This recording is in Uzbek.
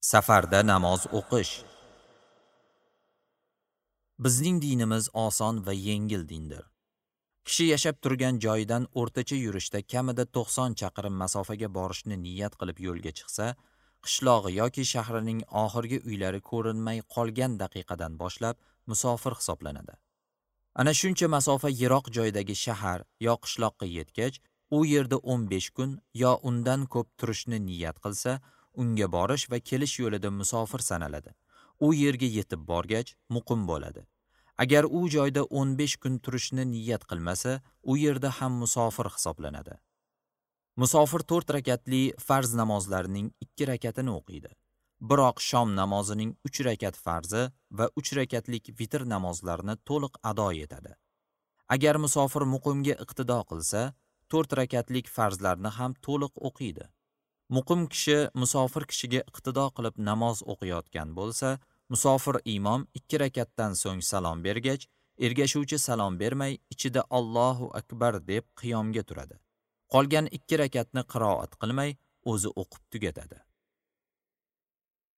Safarda namoz o'qish. Bizning dinimiz oson va yengil dindir. Kishi yashab turgan joyidan o'rtacha yurishda kamida 90 chaqirim masofaga borishni niyat qilib yo'lga chiqsa, qishlog'i yoki shahrining oxirgi uylari ko'rinmay qolgan daqiqadan boshlab musofir hisoblanadi. Ana shuncha masofa yiroq joydagi shahar yo qishloqqa yetgach, u yerda 15 kun yo undan ko'p turishni niyat qilsa, unga borish va kelish yo'lida musofir sanaladi. U yerga yetib borgach, muqim bo'ladi. Agar u joyda 15 kun turishni niyat qilmasa, u yerda ham musofir hisoblanadi. Musofir 4 rakatli farz namozlarining 2 rakatini o'qiydi. Biroq shom namozining 3 rakat farzi va 3 rakatlik vitr namozlarini to'liq ado etadi. Agar musofir muqimga iqtido qilsa, 4 rakatlik farzlarni ham to'liq o'qiydi. Muqim kishi musofir kishiga iqtido qilib namoz o'qiyotgan bo'lsa, musofir imom 2 rakatdan so'ng salom bergach, ergashuvchi salom bermay, ichida Allohu akbar deb qiyomga turadi. Qolgan 2 rakatni qiroat qilmay, o'zi o'qib tugatadi.